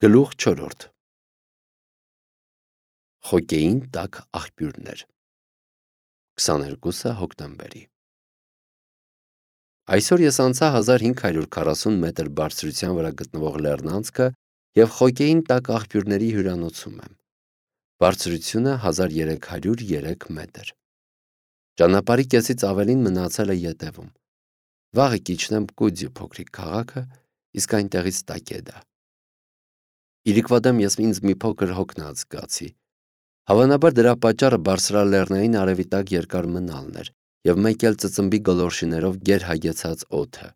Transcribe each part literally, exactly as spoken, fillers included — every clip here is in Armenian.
Գլուխ չորրորդ Խոկեին տաք աղբյուրներ քսաներկուսը հոկտեմբերի Այսօր ես անցա հազար հինգ հարյուր քառասուն մետր բարձրության վրա գտնվող լեռնանցքը և խոկեին տաք աղբյուրների հյուրանոցում եմ։ Բարձրությունը հազար երեք հարյուր երեք մետր։ Ճանապարհի կեսից ավելին մնացել է ետևում։ Վաղը կիջնեմ Կուդյու փոքրիկ քաղաքը, իսկ այնտեղից Տակեդա։ Իրիկվա դեմ ես ինձ մի փոքր հոգնած զգացի։ Հավանաբար դրա պատճառը բարձրալեռնային արևի տակ երկար մնալն էր և մեկ էլ ծծմբի գոլորշիներով գերհագեցած օդը։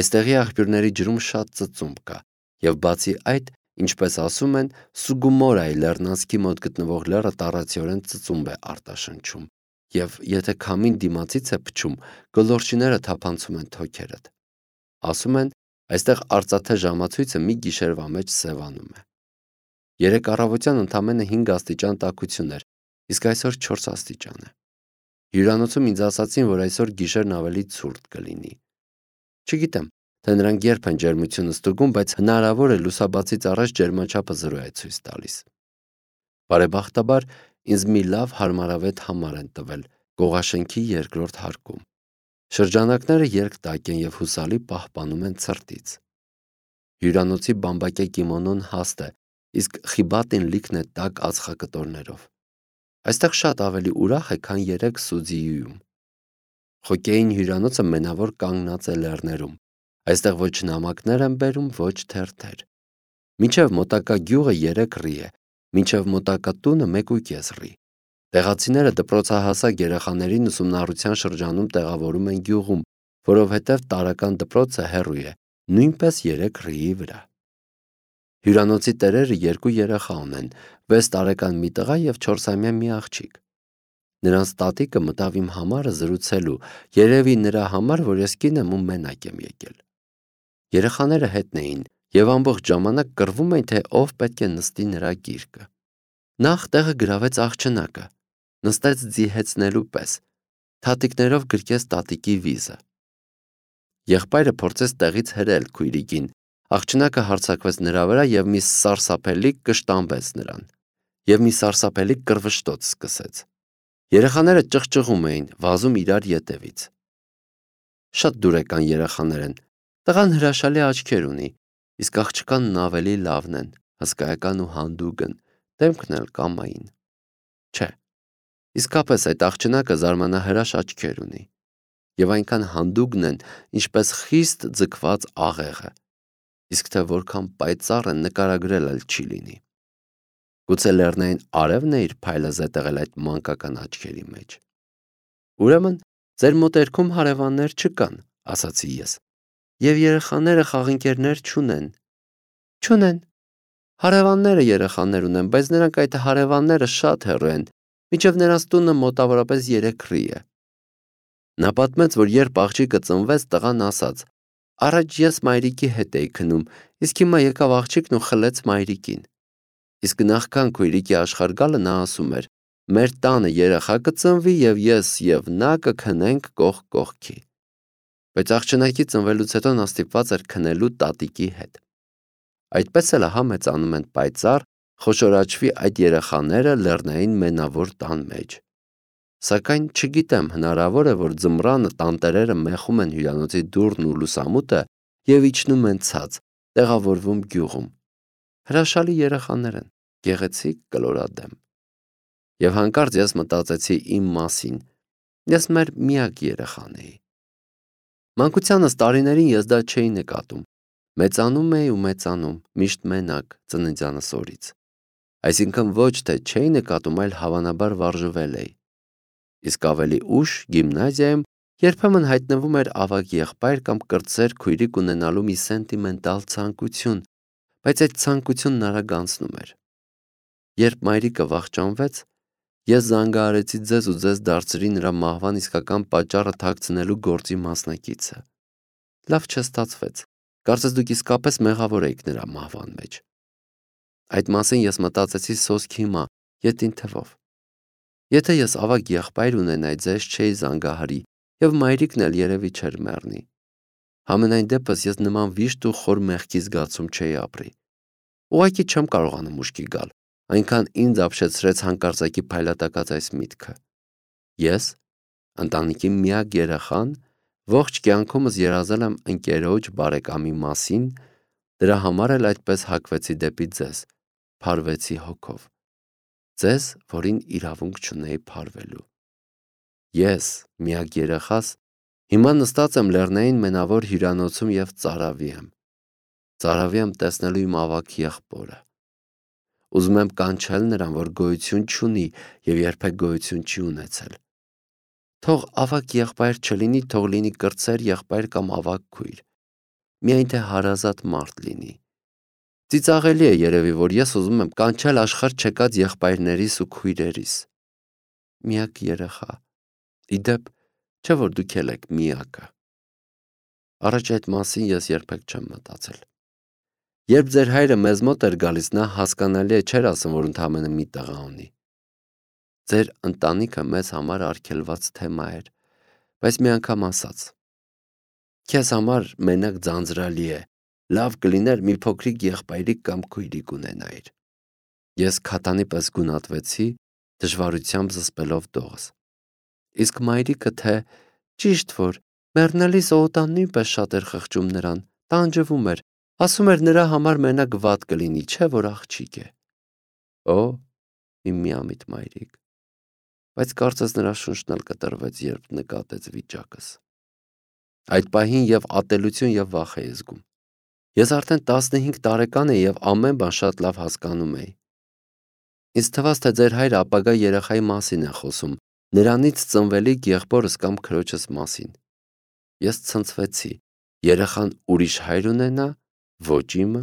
Այստեղի աղբյուրների ջրում շատ ծծումբ կա, և բացի այդ, ինչպես ասում են, Սուգումորայի լեռնանցքի մոտ գտնվող լեռը տառացիորեն ծծումբ է արտաշնչում, և եթե քամին դիմացից է փչում, գոլորշիները թափանցում են թոքերդ։ Ասում են, այստեղ արծաթե ժամացույցը մի գիշերվա մեջ սևանում է։ Երեկ առավոտյան ընդամենը հինգ աստիճան տաքություն էր, իսկ այսօր չորս աստիճան է։ Հյուրանոցում ինձ ասացին, որ այսօր գիշերն ավելի ցուրտ կլինի։ Չգիտեմ, թե նրանք երբ են ջերմությունը ստուգում, բայց հնարավոր է լուսաբացից առաջ ջերմաչափը զրո է ցույց տալիս։ Բարեբախտաբար, ինձ մի լավ հարմարավետ համար են տվել Կողաշենքի երկրորդ հարկում։ Շրջանակները երկտակ են և հուսալի պահպանում են ցրտից։ Հյուրանոցի բամբակե կիմոնոն հաստ է, իսկ խիբատին լիքն է տաք ածխակտորներով։ Այստեղ շատ ավելի ուրախ է, քան երեկ Սուձիյուում։ Խոկեին հյուրանոցը մենավոր կանգնած է լեռներում։ Այստեղ ոչ նամակներ են բերում, ոչ թերթեր։ Մինչև մոտակա գյուղը երեք ռի է, մինչև մոտակա տունը մեկ ու կես ռի։ Տեղացիները դպրոցահասակ երեխաներին ուսումնառության շրջանում տեղավորում են գյուղում, որովհետև տարրական դպրոցը հեռու է, նույնպես երեք ռիի վրա։ Հյուրանոցի տերերը երկու երեխա ունեն, վեց տարեկան մի տղա և չորսամյա մի աղջիկ։ Նրանց տատիկը մտավ իմ համարը զրուցելու, երևի նրա համար, որ ես կին եմ ու մենակ եմ եկել։ Երեխաները հետն էին և ամբողջ ժամանակ կռվում էին, թե ով պետք է նստի նրա գիրկը։ Նախ տեղը գրավեց աղջնակը, նստեց ձիհեցնելու պես, թաթիկներով գրկեց տատիկի վիզը։ Եղբայրը փորձեց տեղից հրել քույրիկին, աղջնակը հարձակվեց նրա վրա և մի սարսափելի կշտամբեց նրան, և մի սարսափելի կռվշտոց սկսեց։ Երեխաները ճղճղում էին, վազում իրար ետևից։ Շատ դուրեկան երեխաներ են, տղան հրաշալի աչքեր ունի, իսկ աղջկանն ավելի լավն են, հսկայական ու հանդուգն, դեմքն էլ կամային։ Չէ, իսկապես այդ աղջնակը զարմանահրաշ աչքեր ունի, և այնքան հանդուգն են, ինչպես խիստ ձգված աղեղը, իսկ թե որքան պայծառ են նկարագրել էլ չի լինի։ Գուցե լեռնային արևն է իր փայլը զետեղել այդ մանկական աչքերի մեջ։ Ուրեմն, ձեր մոտերքում հարևաններ չկան, ասացի ես, և երեխաները խաղընկերներ չունեն։ Չունեն։ Հարևանները երեխաներ ունեն, բայց նրանք այդ հարևանները շատ հեռու են, մինչև նրանց տունը մոտավորապես երեք ռի է։ Նա պատմեց, որ երբ աղջիկը ծնվեց, տղան ասաց. «Առաջ ես մայրիկի հետ էի քնում, իսկ հիմա եկավ աղջիկն ու խլեց մայրիկին»։ Իսկ նախքան քույրիկի աշխարհ գալը նա ասում էր. «Մեր տանը երեխա կծնվի և ես և նա կքնենք կողք կողքի»։ Բայց աղջնակի ծնվելուց հետո նա ստիպված էր քնելու տատիկի հետ։ Այդպես էլ ահա մեծանում են պայծառ, խոշորաչվի այդ երեխաները լեռնային մենավոր տան մեջ։ Սակայն չգիտեմ, հնարավոր է, որ ձմռանը տանտերերը մեխում են հյուրանոցի դուռն ու լուսամուտը և իջնում են ցած, տեղավորվում գյուղում։ Հրաշալի երեխաներ են, գեղեցիկ, կլորադեմ։ Եվ հանկարծ ես մտածեցի իմ մասին, ես մեր միակ երեխան էի։ Մանկությանս տարիներին ես դա չէի նկատում, մեծանում էի ու մեծանում, միշտ մենակ, ծննդյանս օրից։ Այսինքն ոչ թե չէի նկատում, այլ հավանաբար վարժվել էի։ Իսկ ավելի ուշ, գիմնազիայում, երբեմն հայտնվում էր ավագ եղբայր կամ կրտսեր քույրիկ ունենալու մի սենտիմենտալ ցանկություն, բայց այդ ցանկությունն արագ անցնում էր։ Երբ մայրիկը վախճանվեց, ես զանգահարեցի ձեզ ու ձեզ դարձրի նրա մահվան իսկական պատճառը թաքցնելու գործի մասնակիցը։ Լավ չստացվեց, կարծես դուք իսկապես մեղավոր էիք նրա մահվան մեջ։ Այդ մասին ես մտածեցի սոսկ հիմա, ետին թվով։ Եթե ես ավագ եղբայր ունենայի, ձեզ չէի զանգահարի, և մայրիկն էլ երևի չէր մեռնի։ Համենայն դեպս ես նման վիշտ ու խոր մեղքի զգացում չէի ապրի։ Ուղղակի չեմ կարողանում ուշքի գալ, այնքան ինձ ապշեցրեց հանկարծակի փայլատակած այս միտքը։ Ես, ընտանիքի միակ երեխան, ողջ կյանքումս երազել եմ ընկերոջ բարեկամի մասին, դրա համար էլ այդպես հակվեցի դեպի ձեզ, փարվեցի հոգով։ Ձեզ, որին իրավունք չունեի փարվելու։ Ես, միակ երեխաս, հիմա նստած եմ Լեռնային մենավոր հյուրանոցում և ծարավի եմ։ Ծարավի եմ տեսնելու իմ ավագ եղբորը։ Ուզում եմ կանչել նրան, որ գոյություն չունի և երբեք գոյություն չի ունեցել։ Թող ավագ եղբայր չլինի, թող լինի կրտսեր եղբայր կամ ավագ քույր, միայն թե հարազատ մարդ լինի։ Ծիծաղելի է երևի, որ ես ուզում եմ կանչել աշխարհ չեկած եղբայրներիս ու քույրերիս։ Միակ երեխա։ Իդեպ, չէ որ դուք էլ եք միակը։ Առաջ այդ մասին ես երբեք չեմ մտածել։ Երբ ձեր հայրը մեզ մոտ էր գալիս, նա հասկանալի է չէր ասում, որ ընդամենը մի տղա ունի։ Ձեր ընտանիքը մեզ համար արգելված թեմա էր, բայց մի անգամ ասաց. քեզ համար մենակ ձանձրալի է, լավ կլիներ մի փոքրիկ եղբայրիկ կամ քույրիկ ունենայիր։ Ես քատանի պես գունատվեցի, դժվարությամբ զսպելով դողս։ Իսկ մայրիկը թե ճիշտ որ մեռնելիս Օհոտան նույնպես շատ էր խղճում նրան, տանջվում էր, ասում էր նրա համար մենակ վատ կլինի, չէ որ աղջիկ է։ Օ, իմ միամիտ մայրիկ։ Բայց կարծես նրա շունչն էլ կտրվեց, երբ նկատեց վիճակս։ Այդ պահին և ատելություն և վախ էի զգում։ Ես արդեն տասնհինգ տարեկան էի և ամեն բան շատ լավ հասկանում էի։ Ինձ թվաց, թե ձեր հայրը ապագա երեխայի մասին է խոսում, նրանից ծնվելիք եղբորս կամ քրոջս մասին։ Ես ցնցվեցի, երեխան ուրիշ հայր ունենա, ոչ իմը։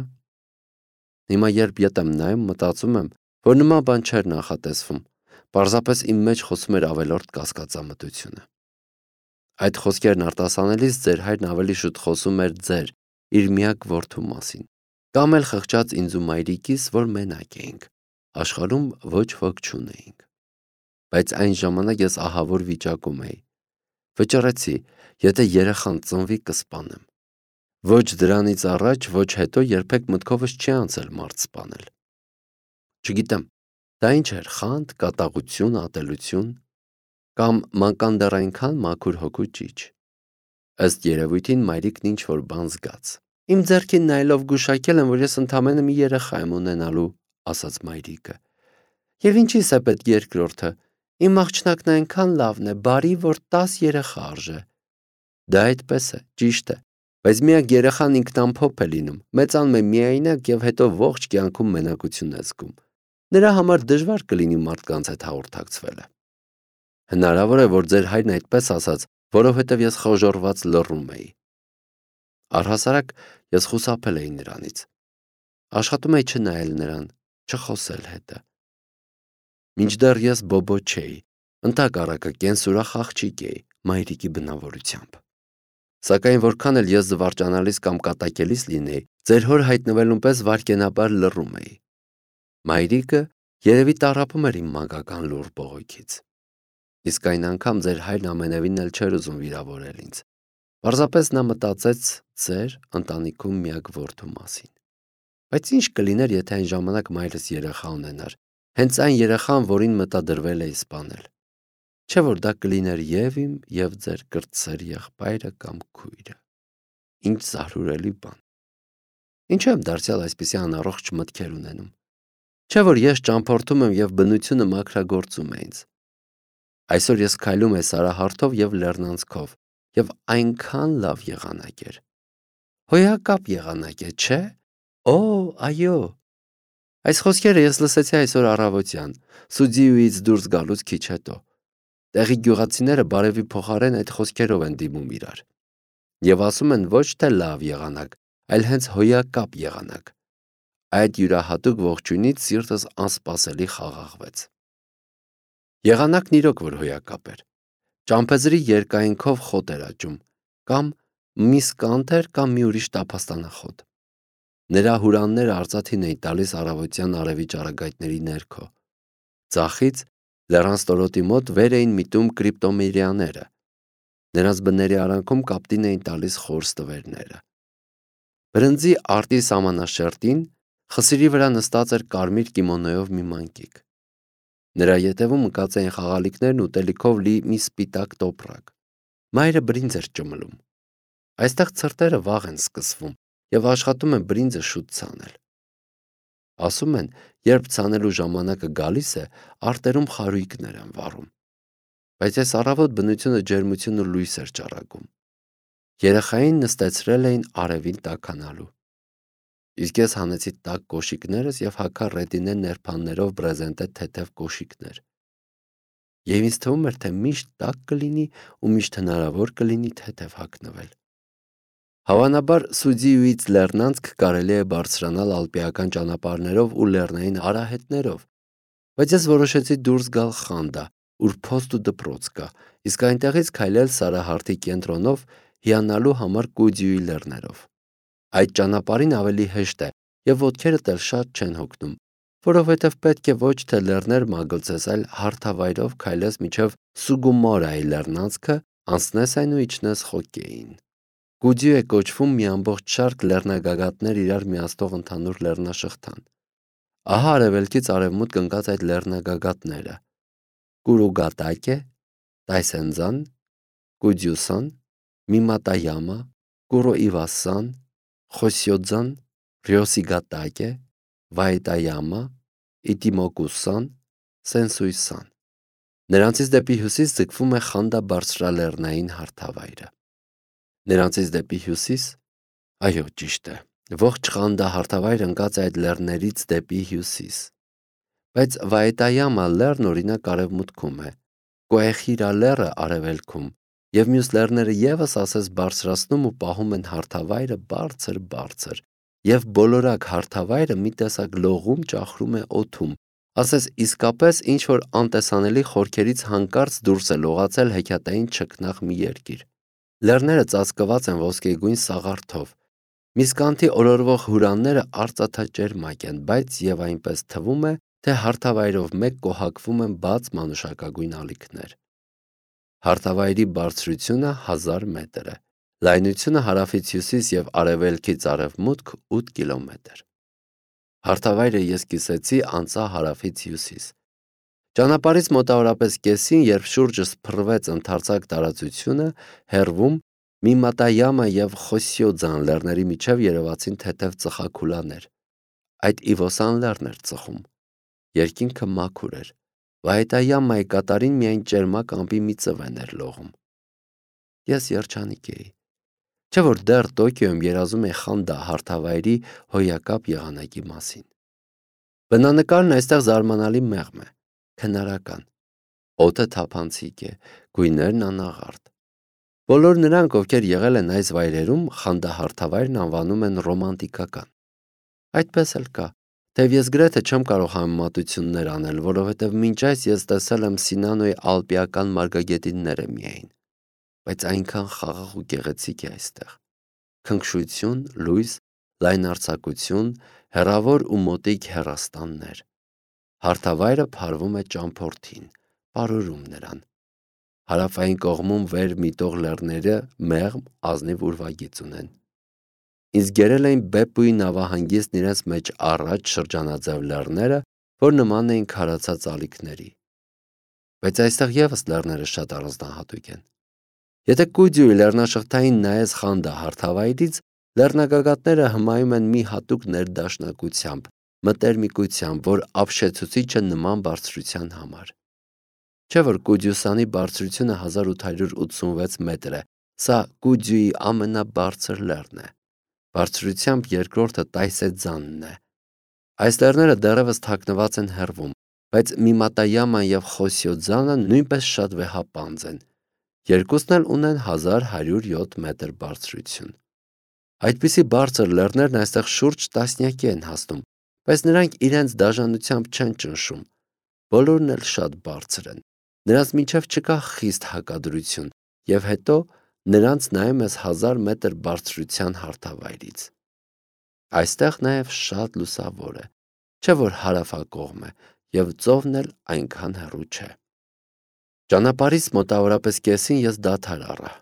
Հիմա երբ ետ եմ նայում, մտածում եմ, որ նման բան չէր նախատեսվում, պարզապես իմ մեջ խոսում էր ավելորդ կասկածամտությունը։ Այդ խոսքերն արտասանելիս ձեր հայրն ավելի շուտ խոսում էր ձեր, իր միակ որդու մասին, կամ էլ խղճած ինձ ու մայրիկիս, որ մենակ էինք, աշխարհում ոչ ոք չունեինք։ Բայց այն ժամանակ ես ահավոր վիճակում էի։ Վճռեցի, եթե երեխան ծնվի կսպանեմ։ Ոչ դրանից առաջ, ոչ հետո երբեք մտքովս չի անցել մարդ սպանել։ Չգիտեմ, դա ինչ էր, խանդ, կատաղություն, ատելություն, կամ մանկան դեռ այնքան մաքուր հոգու ճիչ։ Ըստ երևույթին մայրիկն ինչ-որ բան զգաց։ Իմ ձեռքին նայելով գուշակել եմ, որ ես ընդամենը մի երեխա եմ ունենալու, ասաց մայրիկը։ Եվ ինչի՞ս է պետք երկրորդը։ Իմ աղջնակն այնքան լավն է, բարի, որ տաս երեխա արժե։ Դա այդպես է, ճիշտ է, բայց միակ երեխան ինքնամփոփ է լինում, մեծանում է միայնակ և հետո ողջ կյանքում մենակություն է զգում։ Նրա համար դժվար կլինի մարդկանց հետ հաղորդակցվելը։ Հնարավոր է, որ ձեր հայրն այդպես ասաց, որովհետև ես խոժոռված լռում էի։ Առհասարակ ես խուսափել էի նրանից։ Աշխատում էի չնայել նրան, չխոսել հետը։ Մինչդեռ ես բոբո չէի, ընդհակառակը կենսուրախ աղջիկ էի, մայրիկի բնավորությամբ։ Սակայն որքան էլ ես զվարճանալիս կամ կատակելիս լինեի, ձեր հոր հայտնվելուն պես վայրկենաբար լռում էի։ Մայրիկը երևի տառապում էր իմ մանկական լուռ բողոքից։ Իսկ այն անգամ ձեր հայրն ամենևին էլ չէր ուզում վիրավորել ինձ։ Պարզապես նա մտածեց ձեր ընտանիքում միակ որդու մասին։ Բայց ինչ կլիներ, եթե այն ժամանակ մայրս երեխա ունենար, հենց այն երեխան, որին մտադրվել էի սպանել։ Չէ որ դա կլիներ և իմ, և ձեր կրտսեր եղբայրը կամ քույրը։ Ինչ զարհուրելի բան։ Ինչու եմ դարձյալ այսպիսի անառողջ մտքեր ունենում։ Չէ որ ես ճամփորդում եմ և բնությունը մաքրագործում է ինձ։ Այսօր ես քայլում եմ Սարահարթով և Լեռնանցքով, և այնքան լավ եղանակ էր։ Հոյակապ եղանակ է, չէ՞։ Օ, այո։ Այս խոսքերը ես լսեցի այսօր առավոտյան, Սուձիուից դուրս գալուց քիչ հետո։ Տեղի գյուղացիները բարևի փոխարեն այդ խոսքերով են դիմում իրար։ Եվ ասում են ոչ թե լավ եղանակ, այլ հենց հոյակապ եղանակ։ Այդ յուրահատուկ ողջույնից սիրտս անսպասելի խաղաղվեց։ Եղանակն իրոք որ հոյակապ էր։ Ճամփեզրի երկայնքով խոտ էր աճում, կամ մի սկանդ էր, կամ մի ուրիշ տափաստանախոտ։ Նրա հուրանները արծաթին էին տալիս առավոտյան արևի ճառագայթների ներքո։ Ձախից լեռան ստորոտի մոտ վեր էին միտում կրիպտոմերիաները։ Նրանց բների արանքում կապտին էին տալիս խոր ստվերները։ Բրնձի արտի սամանաշերտին Խսիրի վրա նստած էր կարմիր կիմոնոյով մի մանկիկ։ Նրա ետևում ընկած էին խաղալիքներն ուտելիքով լի մի սպիտակ տոպրակ։ Մայրը բրինձ էր ճմլում։ Այստեղ ցրտերը վաղ են սկսվում եւ աշխատում են բրինձը շուտ ցանել։ Ասում են, երբ ցանելու ժամանակը գալիս է, արտերում խարույկներ են վառում։ Բայց այս առավոտ բնությունը ջերմություն ու լույս էր ճառագում։ Երեխային նստեցրել էին արևին տաքանալու։ Իսկ ես հանեցի տաք կոշիկներս եւ հագա ռետինե ներփաններով բրեզենտե թեթև կոշիկներ։ Եվ ինձ թվում էր, թե միշտ տաք կլինի ու միշտ հնարավոր կլինի թեթև հագնվել։ Հավանաբար Սուձիուից Լեռնանցք կարելի է բարձրանալ ալպիական ճանապարհներով ու լեռնային արահետներով, բայց ես որոշեցի դուրս գալ Խանդա, ուր փոստ ու դպրոց կա, իսկ այնտեղից քայլել Սարահարթի կենտրոնով հիանալու համար Կուդյուի լեռներով։ Այդ ճանապարհին ավելի հեշտ է եւ ոտքերդ էլ շատ չեն հոգնում, որովհետեւ պետք է ոչ թե լեռներ մագլցես, այլ հարթավայրով քայլես մինչեւ Սուգումորայի լեռնանցքը, անցնես այն ու իջնես Խոկեին։ Կուդյու է կոչվում մի ամբողջ շարք լեռնագագաթներ իրար միացնող ընդհանուր լեռնաշղթան։ Ահա արևելքից արևմուտք ընկած այդ լեռնագագաթները՝ Կուրուգատակե, Տայսենձան, Կուդյուսան, Միմատայամա, Կուրոիվասան, Խոսյոձան, Ռյոսիգատակե, Վայտայամա, Իտիմոկուսան, Սենսուիսան։ Նրանցից դեպի հյուսիս ձգվում է Խանդա բարձրալեռնային հարթավայրը։ Նրանցից դեպի հյուսիս, այո, ճիշտ է, ողջ Խանդա հարթավայրը ընկած է այդ լեռներից դեպի հյուսիս։ Բայց Վայտայամա լեռն օրինակ արևմուտքում է, Կոեխիրա լեռը արևելքում, եւ մյուս լեռները եւս ասես բարձրացնում ու պահում են հարթավայրը բարձր-բարձր, եւ բոլորակ հարթավայրը մի տեսակ լողում ճախրում է օդում, ասես իսկապես ինչ որ անտեսանելի խորքերից հանկարծ դուրս է լողացել հեքիաթային չքնաղ մի երկիր։ Լեռները ծածկված են ոսկեգույն սաղարթով։ Միսկանթի օրորվող հուրանները արծաթաճերմակ են, բայց եւ այնպես թվում է, թե հարթավայրով մեկ կոհակվում են բաց մանուշակագույն ալիքներ։ Հարթավայրի բարձրությունը հազար մետր է, լայնությունը հարավից հյուսիս եւ արևելքից արևմուտք ութ կիլոմետր։ Հարթավայրը ես կիսեցի անցա հարավից հյուսիս։ Ճանապարհից մոտավորապես կեսին, երբ շուրջս փռվեց ընդարձակ տարածությունը, հեռվում Միմատայամա եւ Խոսյոձան լեռների միջև երևացին թեթև ծխաքուլաներ։ Այդ Իվոսան լեռն էր ծխում։ Երկինքը մաքուր էր։ Վայտայամայի կատարին միայն ճերմակ ամպի մի ծվեն էր լողում։ Ես երջանիկ էի։ Չէ՞ որ դեռ Տոկիոյում երազում էի Խանդա հարթավայրի հոյակապ եղանակի մասին։ Բնանկարն այստեղ զարմանալի մեղմ է, քնարական։ Օդը թափանցիկ է, գույներն անաղարտ։ Բոլոր նրանք, ովքեր եղել են այս վայրերում, Խանդա հարթավայրն անվանում են ռոմանտիկական։ Այդպես էլ կա, թեև ես գրեթե չեմ կարող համեմատություններ անել, որովհետև մինչ այս ես տեսել եմ Սինանոյի ալպիական մարգագետինները միայն, բայց այնքան խաղաղ ու գեղեցիկ է այստեղ։ Քնքշություն, լույս, լայնարձակություն, հեռավոր ու մոտիկ հեռաստաններ։ Հարթավայրը փարվում է ճամփորդին, պարուրում նրան։ Հարավային կողմում վեր միտող լեռները մեղմ ազնիվ ուրվագիծ ունեն։ Ինձ գերել էին Բեպուի նավահանգիստն իրենց մեջ առաջ շրջանաձև լեռները, որ նման էին քարացած ալիքների։ Բայց այստեղ եւս լեռները շատ առանձնահատուկ են։ Եթե Կուդյուի լեռնաշղթային նայես Խանդա հարթավայրից, լեռնագագաթները հմայում են մի հատուկ ներդաշնակությամբ, մտերմիկությամբ, որ ապշեցուցիչ է նման բարձրության համար։ Չէ՞ որ Կուդյուսանի բարձրությունը հազար ութ հարյուր ութսունվեց մետր է, սա Կուդյուի ամենաբարձր լեռն է։ Բարձրությամբ երկրորդը Տայսեձանն է։ Այս լեռները դեռևս թաքնված են հեռվում, բայց Միմատայաման եւ Խոսյոձանը նույնպես շատ վեհապանծ են։ Երկուսն էլ ունեն հազար հարյուր յոթ մետր բարձրություն։ Այդպիսի բարձր լեռներն այստեղ շուրջ տասնյակի են հասնում, բայց նրանք իրենց դաժանությամբ չեն ճնշում։ Բոլորն էլ շատ բարձր են։ Նրանց միջև չկա խիստ հակադրություն, եւ հետո նրանց նայում ես հազար մետր բարձրության հարթավայրից։ Այստեղ նաեւ շատ լուսավոր է, չէ՞ որ հարավակողմ է, եւ ծովն էլ այնքան հեռու չէ։ Ճանապարհից մոտավորապես կեսին ես դադար առա։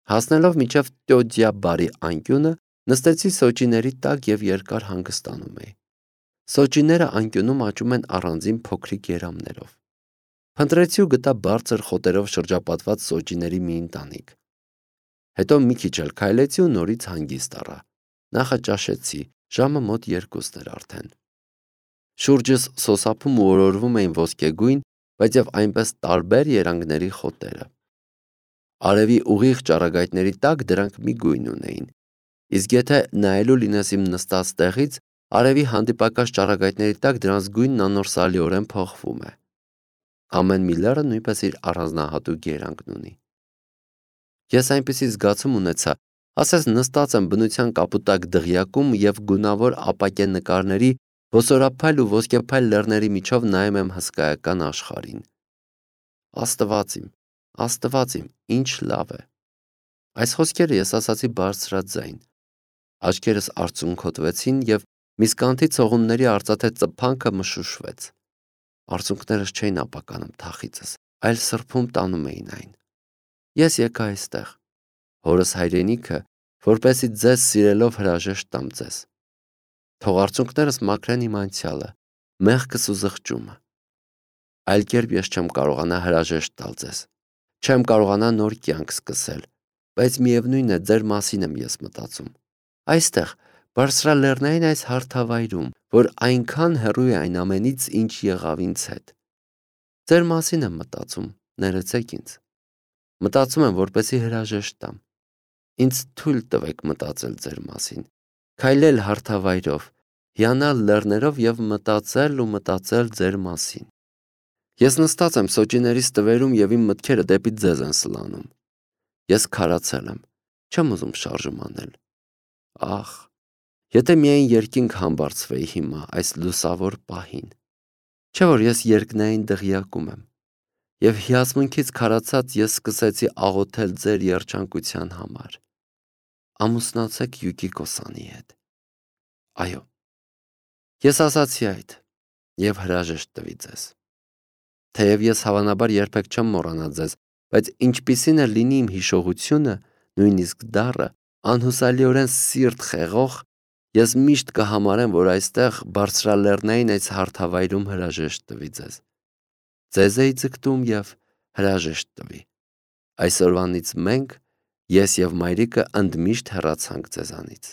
Հասնելով մինչև Տյոդյաբարի անկյունը, Նստեցի սոճիների տակ և երկար հանգստանում էի։ Սոճիները անկյունում աճում են առանձին փոքրիկ երամներով։ Փնտրեցի ու գտա բարձր խոտերով շրջապատված սոճիների մի ընտանիք։ Հետո մի քիչ էլ քայլեցի ու նորից հանգիստ առա։ Նախաճաշեցի, ժամը մոտ երկուսն էր արդեն։ Շուրջս սոսափում ու օրորվում էին ոսկեգույն, բայց և այնպես տարբեր երանգների խոտերը։ Արևի ուղիղ ճառագայթների տակ դրանք մի գույն ունեին, իսկ եթե նայելու լինես իմ նստած տեղից, արևի հանդիպակաց ճառագայթների տակ դրանց գույնն անորսալիորեն փոխվում է։ Ամեն մի լեռը նույնպես իր առանձնահատուկ երանգն ունի։ Ես այնպիսի զգացում ունեցա, ասես նստած եմ բնության կապուտակ դղյակում և գունավոր ապակե նկարների, ոսորափայլ ու ոսկեփայլ լեռների միջով նայում եմ հսկայական աշխարհին։ Աստված իմ, Աստված իմ, ինչ լավ է։ Այս խոսքերը ես ասացի բարձրաձայն։ Աչքերս արցունքոտվեցին և միսկանթի ցողունների արծաթե ծփանքը մշուշվեց։ Արցունքներս չէին ապականում թախիծս, այլ սրբում տանում էին այն։ Ես եկա այստեղ, հորս հայրենիքը, որպեսզի ձեզ սիրելով հրաժեշտ տամ ձեզ։ Թող արցունքներս մաքրեն իմ անցյալը, մեղքս ու զղջումը։ Այլ կերպ ես չեմ կարողանա հրաժեշտ տալ ձեզ։ Չեմ կարողանա նոր կյանք սկսել, բայց միևնույն է, ձեր մասին եմ ես մտածում։ Այստեղ, բարձրալեռնային այս հարթավայրում, որ այնքան հեռու է այն ամենից, ինչ եղավ ինձ հետ։ Ձեր մասին եմ մտածում, ներեցեք ինձ։ Մտածում եմ, որպեսզի հրաժեշտ տամ։ Ինձ թույլ տվեք մտածել ձեր մասին, քայլել հարթավայրով, հիանալ լեռներով և մտածել ու մտածել ձեր մասին։ Ես նստած եմ սոճիներիս տվերում և իմ մտքերը դեպի ձեզ են սլանում։ Ես քարացել եմ, չեմ ուզում շարժում անել։ Ախ, եթե միայն երկինք համբարձվեի հիմա այս լուսավոր պահին։ Չէ՞ որ ես երկնային դղյակում եմ, և հիացմունքից քարացած ես սկսեցի աղոթել ձեր երջանկության համար։ Ամուսնացեք Յուկիկո-սանի հետ։ Այո, ես ասացի այդ և հրաժեշտ տվի ձեզ։ Թեև ես հավանաբար երբեք չեմ մոռանա ձեզ, բայց ինչպիսին է լինի իմ հիշողությունը, նույնիսկ դառը, անհուսալիորեն սիրտ խեղող, ես միշտ կհամարեմ, որ այստեղ բարձրալեռնային այս հարթավայրում հրաժեշտ տվի ձեզ։ Ձեզ էի ձգտում և հրաժեշտ տվի։ Այսօրվանից մենք, ես և մայրիկը ընդմիշտ հեռացանք ձեզանից։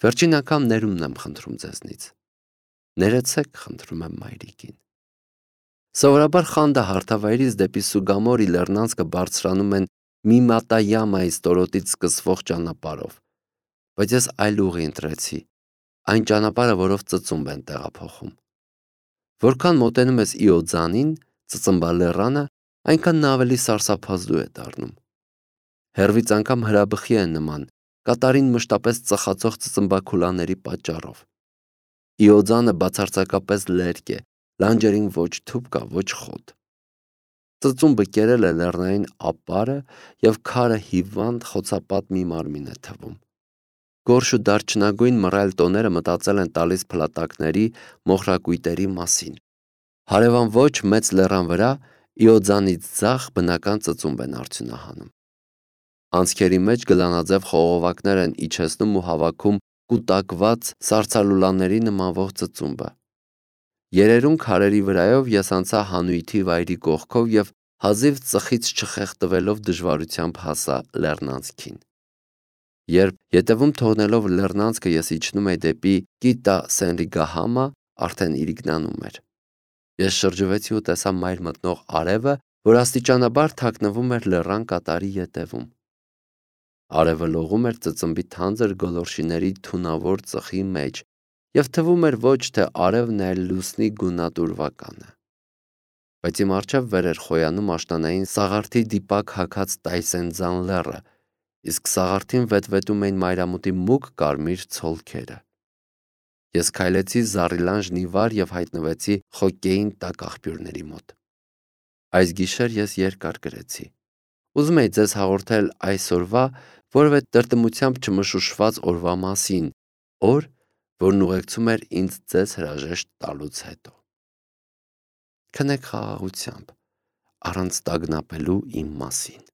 Վերջին անգամ ներումն եմ խնդրում ձեզնից։ Ներեցեք, խնդրում եմ մայրիկին։ Սովորաբար խանդը հարթավայրից դեպի Սուգամորի լեռնանցքը բարձրանում են Միմատայամայի ստորոտից սկսվող ճանապարհով, բայց ես այլ ուղի ընտրեցի, այն ճանապարհը, որով ծծումբ են տեղափոխում։ Որքան մոտենում ես Իոձանին, Ծծմբալեռանը, այնքան նա ավելի սարսափազդու է դառնում։ Հեռվից անգամ հրաբխի է նման, կատարին մշտապես ծխացող ծծմբաքուլաների պատճառով։ Իոձանը բացարձակապես լերկ է, լանջերին ոչ թուփ կա, ոչ խոտ։ Ծծումբը կերել է լեռնային ապարը և քարը հիվանդ խոցապատ մի մարմին է թվում։ Գորշ ու դարչնագույն մռայլ տոները մտածել են տալիս փլատակների, մոխրակույտերի մասին։ Հարևան ոչ մեծ լեռան վրա Իոձանից ձախ բնական ծծումբ են արդյունահանում։ Անցքերի մեջ գլանաձև խողովակներ են իջեցնում ու հավաքում կուտակված սառցալուլաների նմանվող ծծումբը։ Երերուն քարերի վրայով ես անցա հանույթի վայրի կողքով և հազիվ ծխից չխեղդվելով դժվարությամբ հասա լեռնանցքին։ Երբ ետևում թողնելով լեռնանցքը ես իջնում էի դեպի Կիտա Սենրիգահամա, արդեն իրիկնանում էր։ Ես շրջվեցի ու տեսա մայր մտնող արևը, որ աստիճանաբար թաքնվում էր լեռան կատարի ետևում։ Արևը լողում էր ծծմբի թանձր գոլորշիների թունավոր ծխի մեջ և թվում էր ոչ թե արևն է, այլ լուսնի գունատուրվականը։ Բայց իմ առջև վեր էր խոյանում աշնանային սաղարթի դիպակ հագած Տայսենձան լեռը, իսկ սաղարթին վետվետում էին մայրամուտի մուգ կարմիր ցոլքերը։ Ես քայլեցի Զառիլան ժնիվար և հայտնվեցի Խոկեին տակ աղբյուրների մոտ։ Այս գիշեր ես երկար գրեցի։ Ուզում էի ձեզ հաղորդել այսօրվա որևէ տրտմությամբ չմշուշված օրվա մասին, օր, որն ուղեկցում էր ինձ ձեզ հրաժեշտ տալուց հետո։ Քնեք խաղաղությամբ, առանց տագնապելու իմ մասին։